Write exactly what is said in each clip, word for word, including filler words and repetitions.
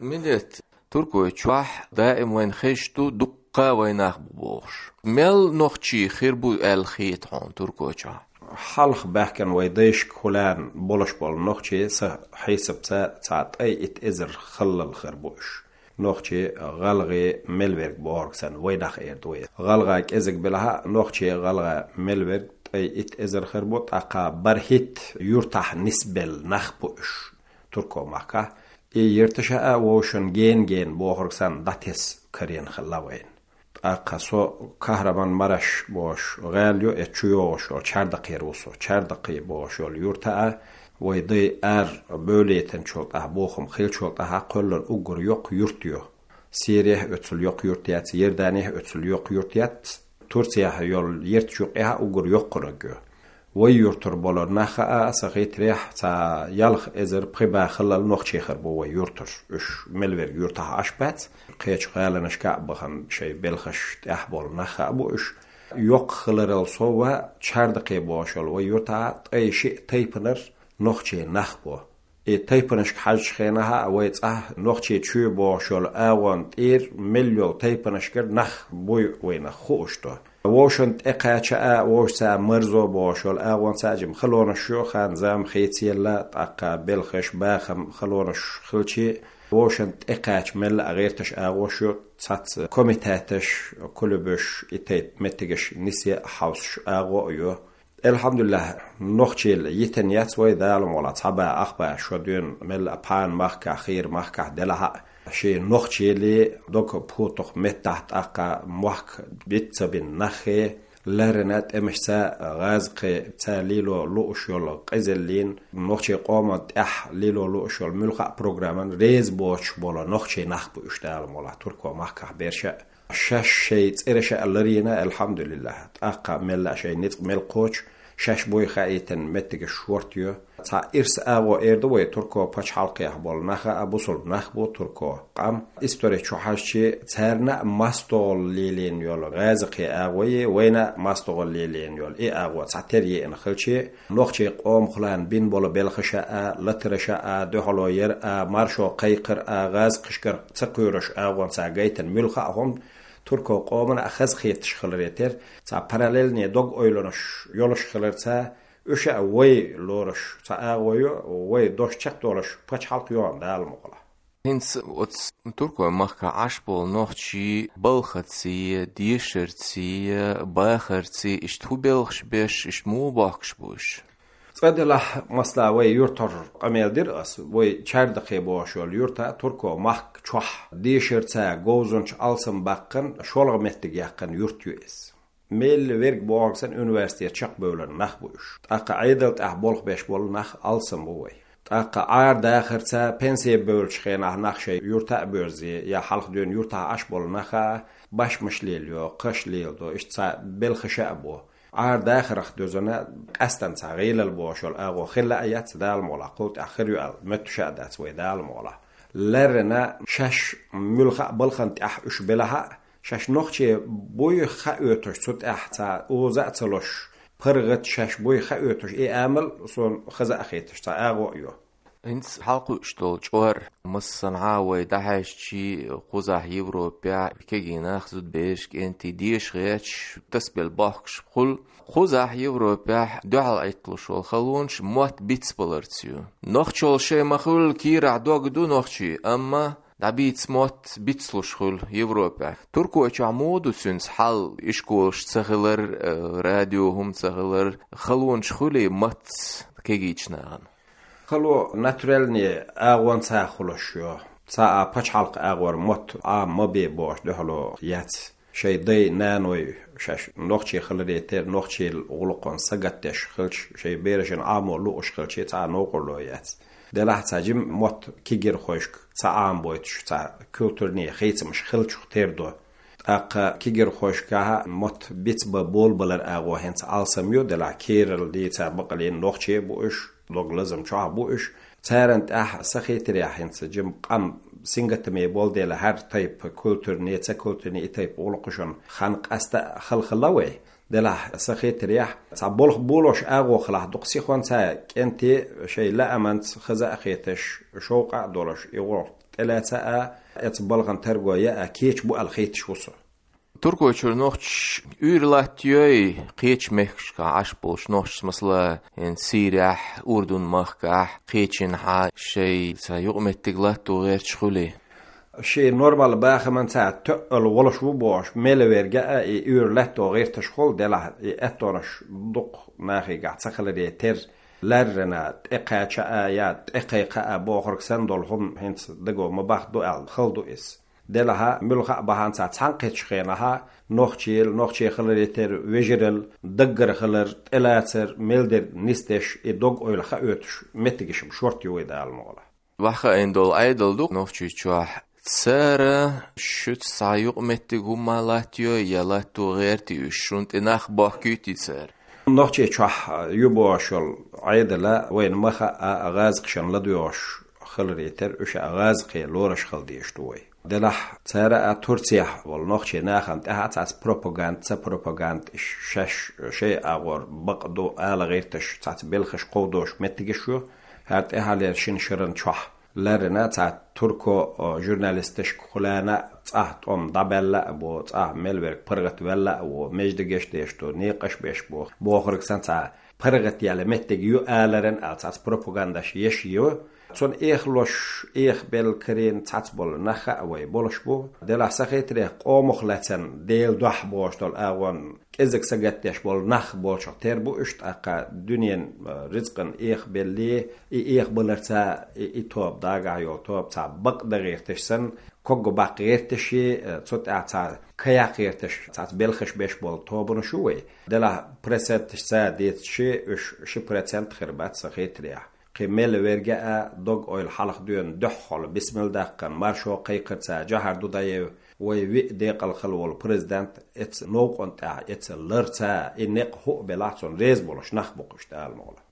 Милет, Туркойчохь даим вайн хезаш ду дуккха вайнах бу бохуш. Мел нохчий хир бу аьлла хета хьуна Туркойчохь? Хьалха баьхкина вай дайшка хулаьрна болуш болу нохчий са хьесапца цхьа ткъе итт эзар халлал хир бу уьш. Нохчий, гӀалгӀий, мел верг бохург санна, вайнах эр ду вай. ГӀалгӀа кӀезиг белахь а, нохчий, гӀалгӀа мел верг ткъе итт эзар хир бу, тӀаккха бархӀитта юьртахь нисбелла нах бу уьш турко махкахь. И юьрташа а вовшан ген-ген бохург санна дӀатесна карийна хилла вайна. ТӀаккха со Кахраман-Мараш бохуш гӀала ю, эцу чу йогӀуш йолу Чардакхера ву со. Чардакхе бохуш йолу юьрта а, вай дай ара бевлийтинчул тӀаьхьа, бохам хиллачул тӀаьхьа кхоьллина уггар йоккха юрт ю. Сирехь оьцул йоккха юрт яц, Иорданехь оьцул йоккха юрт яц, Турцехь йолу ярташ юккъехь а уггар йоккханиг ю. Вай юьртара болу нах а, сан хетарехь, цхьа ялх эзар пхи бӀе халлал нохчий хир бу вай юьртара. Уьш мел верг юьртахь Ӏаш бац, кхечу гӀаланашка а бахана, шайн белхаш тӀехь болу нах а бу уьш. Йоккха хиларал сов, Чардакхе бохуш йолу вай юьртахь ткъе шиъ тайпанара нохчий нах бу. И тайпанашка хьаьжча хенахь а вай цӀахь Нохчийчоь бохуш йолу агӀонна тӀера мел йолу тайпанашкара нах буй вайна хууш ду. Вовшан тӀекхача а, вовшаца марзо бохуш йолу агӀонца а жима халонаш ю, хан-зама хийцаелла, тӀаккха белхаш, бахам, халонаш хилчи, вовшан тӀекхача мелла а гӀерташ агӀош ю, цхьацца комитеташ, кулебаш, и тайпа меттигаш нисе а хьовсуш агӀо а ю. Элхьамдулиллахь, нохчийла йитина яц вай, Дала мукъалахь, цхьа бӀе ах бӀе шо дуьйна мелла а пхьана махкахь, хийра махкахь делахь а, шен нохчийла дог пхуттух меттахь тӀаккха мохк биц ца бина нахе, лаьррина тӀемашца, гӀазкхица лело лууш йолу къизаллин, нохчийн къоман тӀехь лело лууш йолу муьлхха а программан реза боцуш болу нохчий нах бу уьш, Дала мукъалахь, турко махкахь берш а. Шаьш шайн цӀераш а ларийна, элхьамдулиллахь. ТӀаккха мелла а шайн ницкъ мел кхочу, шаьш буй хаийтина меттигаш шорта ю. Цхьа ирс агӀо эр ду вай турко пачхьалкхехь болу нах а, бусулба нах бу турко къам. Истори чу хьаьжчи, царна а мастагӀалла лелийна йолу гӀазкхи агӀо е, вайна а мастагӀалла лелийна йолу и агӀо цхьа тера еана хилчи, нохчийн къомах лан бина болу белхаша а, латараша а, дуьхьало яр а, маршо кхайкхар а, гӀазкхашкара ца кхоьруш агӀонца гайтина муьлхха а хӀума турко къомана а хазахеташ хиларе терра, цхьа параллельный дог-ойланаш йолуш хиларца, уьш а вай лоруш цхьа агӀо ю, вай дош чекхдолуш пачхьалкх йогӀу, Дала мукъалахь. ХӀинца оцу туркойн махкахь Ӏаш болу нохчий балхаций, дешарций, бахарций, иштта хӀун белхаш беш, иштта муха бохкуш бу уьш? Цкъа делахь, масала, вай юьртара къамел дира ас, вай Чардакхе бохуш йолу юьрта турко махка чохь дешарца говзанча алсам баккхина, шолгӀа меттиг яьккхина юрт ю иза. Мел верг бохург санна университет чекхбевлла нах бу уьш. ТӀаккха Ӏедал тӀехь болх беш болу нах алсам бу вай. ТӀаккха Ӏар-дахарца пенсе бевллачу хенахь нах шайн юьрта а боьрзе, я хьалха дуьйна юьртахь Ӏаш болу нах а, башмаш лелайо, кхаш леладо, иштта цхьа белхаша а бу. Ӏар-дахарх доьзна къаьстина цхьа гӀийлалла бохуш йолу агӀо хилла а яц, Дала мукъалахь, кхул тӀехь хир ю аьлла моьттуш а дац вай, Дала мукъалахь. Лаьррина шаьш муьлхха а балхана тӀехь уьш белахь а, шаьш нохчий буй хаоьтуш, цу тӀехь цхьа оза а ца луш, паргӀат шаьш буй хаоьтуш и амал суна хаза а хеташ цхьа агӀо а ю. ХӀинца хьалакхуьуш долу чкъор, массанхьа вай дӀахьаьжчи, кхузахь Европехь кегий нах, зудабераш, кӀентий деша гӀерташ, тасабелла бохкуш хуьлу. Кхузахь Европехь дуьхьал Ӏитталуш волу халонаш мотт бицбаларца ю. Нохчалла шайн ма-хуьллу, кийрахь дог ду нохчийн, амма дӀабийца мотт бицлуш хуьлу Европехь. Туркойчохь муха ду цуьнца хьал, ишколаш ца хилар, э, радио хӀума ца хилар, халонаш хуьлий маттаца кегийчу нахана? Хало натуральный агӀонца хуьлуш ю. Цхьа а пачхьалкх агӀор мотт Ӏама ма бе бохуш дуьхьало яц. Шайн дай-наной шаьш нохчий хиларе терра, нохчийла гӀуллакхана сагатдеш хилча, шайн берашна Ӏамо лууш хилча, цхьа а новкъарло яц. Делахь цхьа жима мотт кегирхошка ца Ӏамабойтуш, цхьа культурный хийцамаш хилчух тера ду. ТӀаккха кегирхошкахь мотт бицбан болабалар агӀо хӀинца алсам ю, делахь кийрара дийца бакъалла нохчий бу уьш, дог лазам чохь бу уьш. Царна тӀехь сан хетарехь хӀинца жима къам сингаттаме болу дела, хӀара тайпа культурный, ца культурный и тайпа гӀуллакхашна хан къаста а хала хилла вай. Делахь сан хетарехь, цхьа болх болош агӀо хилахь, дукха сихонца кӀентий шайн лааманца хаза а хеташ, шовкъа а долуш, и гӀуллакх тӀелаца а, эца балгӀан тарго я а кеча бу аьлла хеташ ву со. Туркойчуьра нохчаш уьйр латтайой, кхеча мехкашка Ӏаш болчу нохчашца, масала, хӀинца Сирехь, Урдун махкахь, кхечанхьа шайн цхьа юкъаметтиг латто гӀерташ хуьлий? Шен нормал бахаман цхьа тоьъал волуш ву бохуш, мел верга а и уьйр латто гӀерташ хуьлу делахь, и аьттонаш дукха нахийгахь ца хиларе терра, лаьррина тӀекхача а я тӀекхайкха а бохург санна долу хӀума хӀинца даго ма бахду аьлла хала ду иза. Делахьа, муьлхха а бахьанца цхьаьнакхеттачу хенахьа, нохчийла, нохчий хиларе терра вежарал, даггара хилар, тӀелацар, мел дерг нисдеш, и дог-ойла хаоьцуш меттигаш-м шорта ю вай Дала мукъалахь. Ваха айна долу Ӏедал ду Нохчийчохь. Цара шуьца цхьа юкъаметтиг хӀумма латтайой, я латто гӀертий уьш, шуна тӀе нах бохкуьйтий цара? Нохчийчохь ю бохуш йолу Ӏедала вайна ма хаьа, гӀазкхашна ладоьгӀуш хиларе терра, уьш а гӀазкхе лоруш хила дезаш ду вай. Делахь, цара а Турцехь волу нохчий нахана тӀехь а цхьацца пропаганда, ца пропаганда, шаьш шайн агӀор бакъ ду ала гӀерташ, цхьацца белхаш кховдош меттигаш ю, хӀара тӀаьхьалера шина шаран чохь лаьррина цхьа турко, о, журналисташка хуьлана цӀахь тӀом дӀабаьлла а бу, цӀахь мел верг паргӀатваьлла а ву, междигаш деш ду, некъаш беш бу, бохург санна цхьа паргӀатъяла меттиг ю аларан а цхьацца пропагандаш еш ю. Цунна эхалуш, эхабелла карийна цхьацца болу нах а вай болуш бу. Делахь сан хетарехь къомах лаьцна Делан дуьхьа бохуш долу агӀонна кӀезиг сагатдеш болу нах болчух тера бу уьш, тӀаккха дуьнен, э, рицкъан эхабелле, и эхабаларца и, и тоба дагахь йолу тоба цхьа бакъ дан гӀерташ санна, когга баккха гӀерташ и, э, цу тӀехь цхьа кхайкха гӀерташ, цхьацца белхаш беш болу тобанаш ю вай. Делахь проценташца дийцича, уьш ши процент хир бац сан хетарехь. Кхин мел верга а дог-ойла хьалха доьна дуьххьал бисмилла даьккхина маршо кхайкхарца Джохар Дудаев, вай виъ декъал хилла волу президент, эца новкъан тӀехь эца ларца, и некъ хӀуъа белахь цунна реза болуш нах бу кхуьш Дала мукъалахь.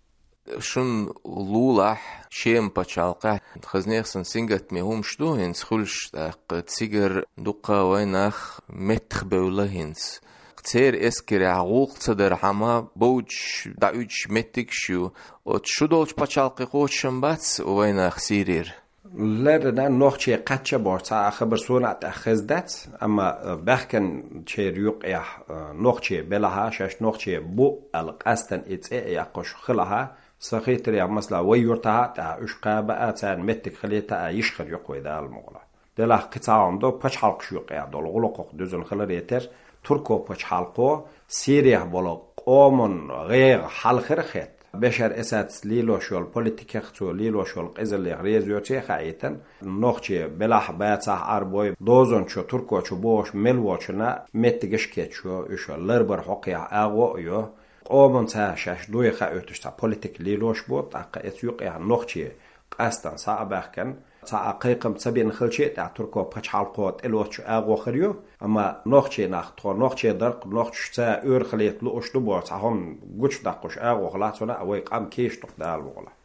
Шуна лулахь, Шема пачхьалкхехь, хазнех сан сингаттаме хӀумаш ду хӀинца хуьлуш, тӀаккха цигара дуккха вай нах меттахбевлла хӀинца. Церан эскарехь гӀуллакх ца дархьама, бовдуш, дӀауьдуш меттигаш ю. Оцу шу долчу пачхьалкхе кхочушам бац вайнах Сирера? Леррина нохчий кхачча бохуш цхьа а хабар суна а тӀехь хезна дац, амма, э, баьхкинчеран юкъехь, э, нохчий белахьа, шаьш нохчий бу аьлла къастана и цӀе а яккхуш хилахьа, сан хетарехь, масала, вай юьртахьа а тӀехь уьш кхаба а, царна меттиг хилийта а йиш хир ю-кх вай Дала мукъалахь. Делахь кхин цхьа хӀума ду, пачхьалкхаш юкъехь долу гӀуллакхах дуьзна хиларе терра, Турко пачхьалкхо Сирехь болу къоман гӀегӀа хьалхара хетта, Бешар Асадца лелош йолу политикех, цо лелош йолу къизаллех реза йоций а хаийтина, нохчий белахь, бацахь, Ӏарбой, дозанчо, туркочо бохуш мел волчунна меттигаш кечйо, уьш ларбар хьокхехь агӀо а йо, къоманца шаьш дуй хаоьцуш цхьа политика лелош бу, тӀаккха эца юкъехь нохчий къастана схьа а баьхкина, цхьа а кхайкхам ца бина хилча а тӀехь турко пачхьалкхо тӀелоцучу агӀо хир ю, амма нохчий нах, тхо нохчий дар-кх, нохчашца ойла хилийта лууш ду боху цхьа хӀума гучудаккхуш агӀо хилахь, цунна а вай къам кийчдо-кх Дала мукъалахь.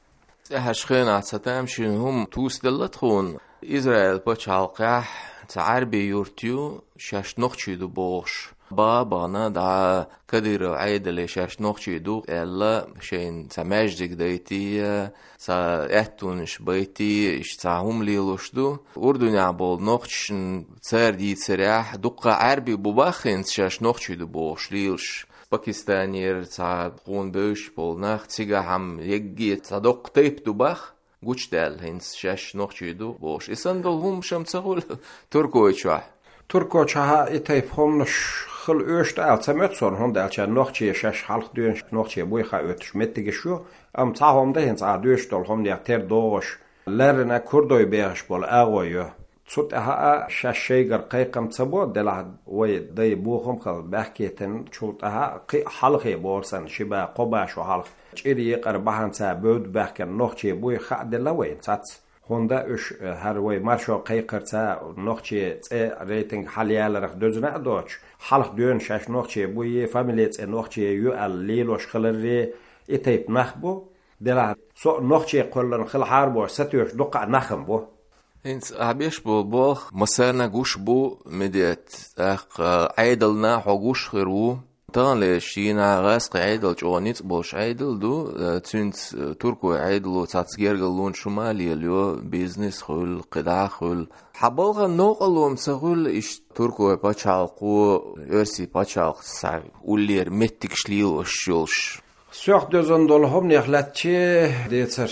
ТӀаьхьарчу хенахь цхьа тамашийна хӀума тӀуьсделла тхуна. Израиль пачхьалкхехь цхьа Ӏаьрбийн юрт ю, шаьш нохчий ду бохуш. Баха а бахана, дӀа Кадыров Ӏедале шаьш нохчий ду аьлла, шайна цхьа маьждиг дайтий, цхьа аьттонаш байтий, иштта цхьа хӀума лелош ду. Урдунехь болу нохчашна цара дийцарехь, дуккха Ӏаьрбий бу боху хӀинца шаьш нохчий ду бохуш лелаш. Пакистанера цхьа тхуна бевзаш болу нах, цигахь-м егге цхьа доккха тайпа ду боху. Гучудаьлла хӀинца шаьш нохчий ду бохуш. И санна долу хӀумаш-м ца хуьлу Туркойчохь? Туркойчохь и тайпа хӀуманаш хила оьшуш ду аьлла ца моьтту суна, хӀунда аьлча нохчий шаьш хьалха дуьйна нохчий буй хаоьцуш меттигаш ю, амма цхьа хӀума дан хӀинца ахь дуьйцуш долу хӀуманех тера догӀуш, лаьррина курдой бехаш болу агӀо ю. Цу тӀаьхьа а шаьш шайгара кхайкхам ца бо, делахь вай дай бохам хала баьхкийтина, чул тӀаьхьа а кхин а хьалхе бохург санна, ши ба, кхо ба шо хьалха чӀир екъар бахьанца бевдда баьхкина нохчий буй хааделла вайна цац. ХӀунда уьш, э, хӀара вай маршо кхайкхарца нохчий цӀе рейтинг хьалаяларх доьзна а доцуш, хьалха дуьйна шаьш нохчий буй, фамили цӀе нохчий ю аьлла лелош хиларре, и тайпа нах бу. Делахь со а нохчий кхоьллина хилахьара бохуш сатуьйсуш дуккха а нах-м бу. ХӀинца ахь беш болу болх массарна гуш бу, Медет, тӀаккха Ӏедална хьо гуш хир ву. Таханлерчу дийнахь гӀазкхийн Ӏедал чӀогӀа ницкъ болуш Ӏедал ду, э, цуьнца, э, туркойн Ӏедало цхьацца гергарлонаш хӀума а лелайо, бизнес хуьлу, кхидӀа а хуьлу. Хьан балхана новкъарло ма ца хуьлу иштта туркойн пачхьалкхо, оьрсийн пачхьалкхаца схьа уллера меттигаш лелош йолуш? Соьх доьзна долу хӀуманех лаьттачи децара.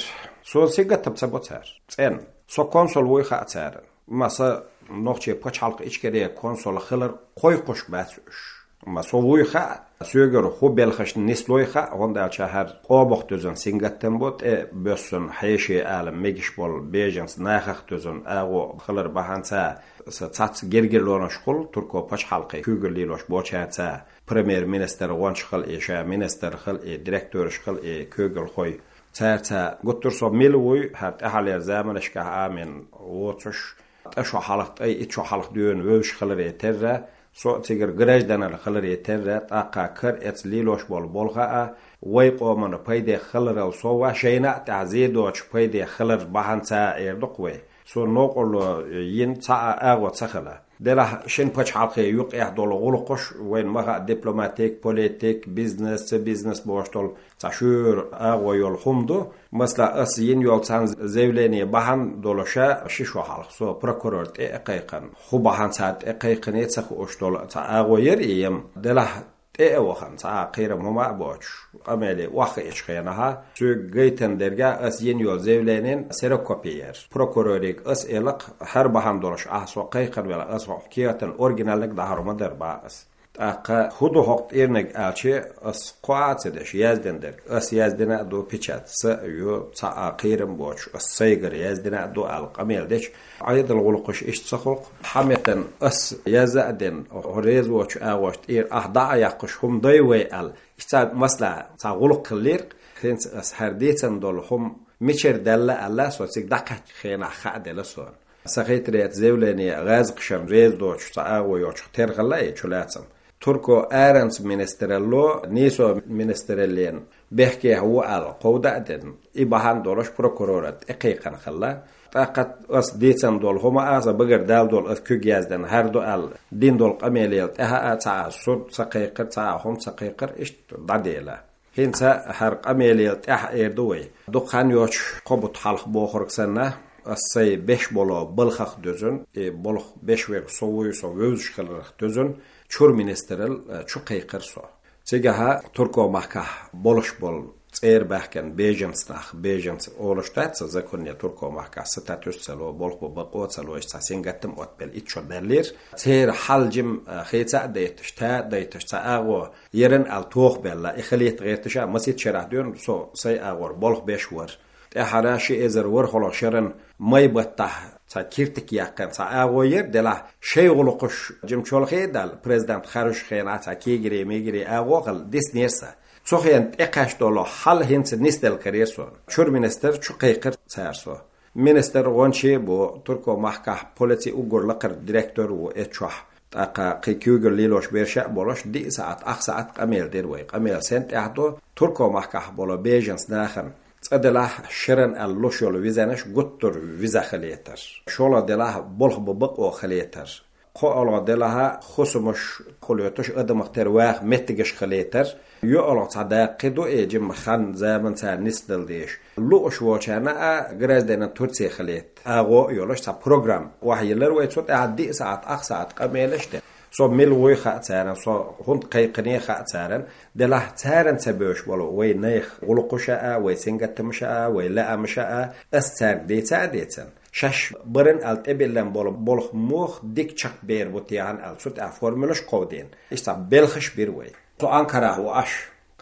Суна сингаттам ца бо цара. ЦӀена. Со консул вуй хаьа царна. Ма сан нохчийн пачхьалкхан Ичкерин консул хилар кхойкхуш бац уьш. Ма со вуй хаьа, соьгара хӀун белхаш нислой хаьа, хӀунда аьлча хӀара къомах доьзна сингаттам бу, тӀе боьссина хьеший ала мегаш болу беженцийн нахах доьзна агӀо хилар бахьанца сан цхьацца гергарлонаш хуьлу туркойн пачхьалкхе куьйгалла лелош болчаьрца, премьер-министр гӀонча хила и, ша министр хила и, директораш хила и, куьйгалхой. Цаьрца гуттар а со мила вуй, хӀара тӀаьхьалера заманашкахь Ӏамийна воцуш, ткъа шо хьалха, ткъе итт шо хьалха дуьйна вевзаш хиларе терра, со а цигара гражданин хиларе терра, тӀаккха кара эца лелош болу болх а, вай къомана пайдехь хиларал сов а, шайна а тӀехь зе доцуш пайдехь хилар бахьанца а эр ду-кх вай. Суна новкъарло йина цхьа а агӀо ца хилла. Делахь шина пачхьалкхе юкъехь долу гӀуллакхаш, вайна ма хаьа, дипломатик, политик, бизнес, ца бизнес бохуш долу цхьа шуьйра агӀо йолу хӀума ду. Масала, ас йина йолу цхьана заявлени бахьана долуш а, ши шо хьалха со прокурор тӀе а кхайкхина, хӀун бахьанца тӀе кхайкхине ца хууш долу цхьа агӀо яра и ям. Делахь тӀе а вахана, цхьа а кхерам хӀума а боцуш, къамеле охьахиъчу хенахь, соьга гайтина дерг а ас йина йолу заявленин ксерокопи яра. Прокурорига ас элира-кх, хӀара бахьана долуш ахь со кхайкхина велахь, ас хӀокху кехатан оригиналниг дӀахьур ма дара бах ас. ТӀаккха хӀун ду хӀокху тӀирниг аьлча, ас кхоа а ца деш яздина дерг. Ас яздина а ду, печать са а ю, цхьа а кхерам боцуш, ас сайгара яздина а ду аьлла къамел дича, Ӏедалан гӀуллакхаш иштта ца хуьлу-кх. Хьан метта ас язъян а дина, хьо реза воцучу агӀошна тӀера ахь дӀа а яккхуш хӀума дай вай аьлла, иштта цхьа масала, цхьа гӀуллакх хиллера-кх. ХӀинца ас хӀара дийцина долу хӀума мичара даьлла аьлла, со цига дӀакхаьччу хенахь хаа делла суна. Сан хетарехь, заявлени гӀазкхашна реза доцуш цхьа агӀо йоцуш тера хилла и чулацам. Туркойн аренца министралло нийсо министраллина бехкехь ву аьлла кховда а дина, и бахьана долуш прокурора тӀе кхайкхина хилла. ТӀаккха ас дийцина долу хӀума а, сан багара даьлла долу, ас куьг яздина хӀара ду аьлла дина долу къамелал тӀаьхьа а цхьа а суд ца кхайкхира, цхьа а хӀума ца кхайкхира, иштта дӀадела. ХӀинца хӀара къамелал тӀаьхьа эр ду вай. Дукха хан йоцуш, кхо бутт хьалха бохург санна, ас сайн беш болу балхах доьзна, и болх беш верг со вуй, со вевзаш хиларх доьзна, чуьра министралла, э, чу кхайкхира со. Цигахь Туркойн махкахь болуш болу цӀера баьхкина беженцийн нах, беженцы олуш дац цу законе, Туркойн махкахь статус ца ло, болх бан бакъо ца ло, иштта цхьа сингаттам оццу белла итт шо даьллера. Церан хьал жимма, э, хийца а дайташ, та а дайташ, цхьа агӀо яран аьлла тохабелла, и хилийта гӀерташ а, масийтта шарахь дуьйна со сайн агӀор болх беш вара. ТӀаьххьара ши эзар ворхӀалгӀа шеран май баттахь цхьа киртиг яьккхина цхьа агӀо яра, делахь шайн гӀуллакхаш жимма чолхе а даьлла, президент харжучу хенахь цхьа кегирий-мегирий агӀо а хилла, диснера сан. Цу хенахь тӀекхаьчна долу хьал хӀинца нисделла карийра суна. Чуьра министр чу кхайкхира цара со. Министр гӀончий а бу, Туркойн махкахь полицин уггар лакхара директор а ву эццахь. ТӀаккха кхин куьйгалла лелош берш а болуш, диъ саӀат, ах саӀат къамел дира вай. Къамел сен тӀехь ду, Туркойн махкахь болу беженцийн нахана, цкъа делахь, шеран аьлла луш йолу визанаш гуттар а виза хилийтар. ШолгӀа делахь, болх бан бакъо хилийтар. КхоалгӀа делахь, хӀусамаш кхулуьйтуш, адамах тера ваха меттигаш хилийтар. ЙоьалгӀа цхьа даккхий ду, и жимма хан-заман цара нисдала дезаш. Лууш волчарна а гражданин Турции хилийта агӀо а йолуш цхьа программа охьайиллира вай, цу тӀехь диъ саӀат, ах саӀат къамелаш дина. Со мила вуй хаьа царна, со хӀунда кхайкхине хаьа царна, делахь царна ца бевзаш болу вай нехан гӀуллакхаш а, вай сингаттамаш а, вай лаамаш а, ас цаьрга дийца а дийцина. Шаьш баран аьлла тӀебиллина болу болх муха дика чекхбер бу техьа аьлла, цу тӀехь формулаш кховдийна. Иштта цхьа белхаш бира вай. Со Анкарахь ву аш.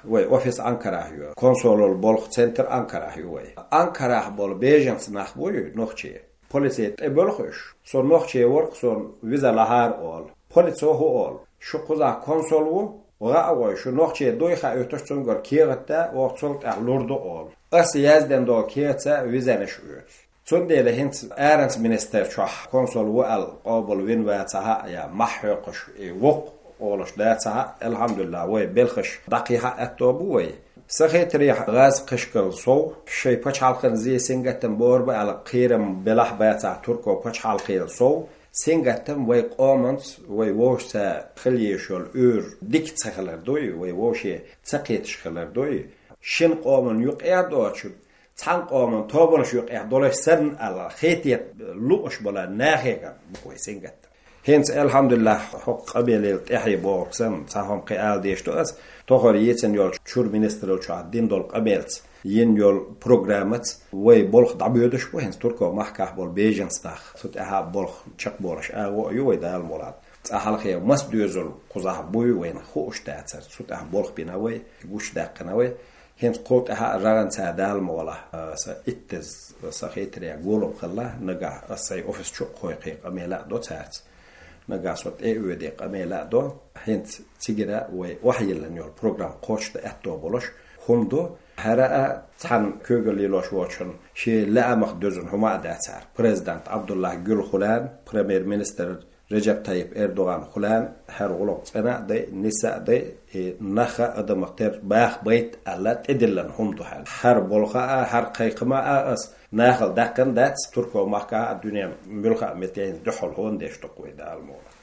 Вай офис Анкарахь ю. Консулал болх центр Анкарахь ю вай. Анкарахь болу беженцийн нах буй, нохчий. Полице тӀебоьлху уьш. Со нохчи вара-кх, суна виза лахьара олу. Полицо хӀун олу? Шу кхузахь консул ву, гӀа а гӀой, шу нохчи дуй хаийтуш, цуьнгара кехат да, оха цул тӀаьхьа лур ду олу. Ас яздина долу кехатца визанаш оьцу. Цундела хӀинца аренца министралла чохь консул ву аьлла къобал вина вацахь а, я мохь хьоькхуш и воккха олуш дацахь а, алхьамдулиллахӀ, вай белхаш дӀакхехьа а аьтто бу вай. Сан хетарехь, гӀазкхашкал сов, шайн пачхьалкхана зе, сингаттам бер бу аьлла кхерам белахь а бацахь, туркойн пачхьалкхел сов, Сингаттам вай къоманца, вай вовшашца хила езаш йола уьйр дика ца хилар дуй, вай вовше ца кхеташ хилар дуй. Шин къоман юкъе а доацаш, цхьан къоман тобанаш юкъе долаш санна аьлла, хетет лууш бола нахега вай сингаттам. ХӀинца, алхьамдулиллахӀ, хӀокху къамелал тӀаьхье бохург санна, цхьа хӀума кхин ала дезаш ду ас, тохара йийцина йолчу чуьра министралла чохь дина долу къамелца, йина йолу программаца вай болх дӀабоьдуш бу хӀинца Туркойн махкахь болу беженцаш нах. Цу тӀаьхьа болх чекхболуш агӀо а ю вай, Дала мукъалахь. Цкъа хьалхе маса доьзал кхузахь буй вайна хууш дацара. Цу тӀехь болх бина вай, гучудаьккхина вай. ХӀинца кху тӀехь а жагӀанца, Дала мукъалахь, аса иттаза сан хетарехь гулам хилла, нагахь аса сайн офис чу а кхойкхий къамел а до цаьрца. Нагахь со тӀе а воьдий къамел а до. ХӀинца цигара вай охьайиллина йолу программа кхочушдан аьтто болуш хӀума ду. ХӀара а цхьана куьйгалла лелош волчунна шен лаамах доьзна хӀума а дац хӀара. Президент Абдуллахь Гюл хуьлу, премьер-министр Реджеп Тайип Эрдоган хуьлу, хӀара гӀуллакх цӀена а дай, нисса а дай, и нах а адамах тера баха байта аьлла тӀедиллина хӀума ду хӀара. ХӀара болх а, хӀара кхайкхам а ас нахала даьккхина дац, Туркойн махкахь а, дуьненан муьлхха а метте хӀинца дуьххьал хӀунда деш ду-кх вай, Дала мукъалахь.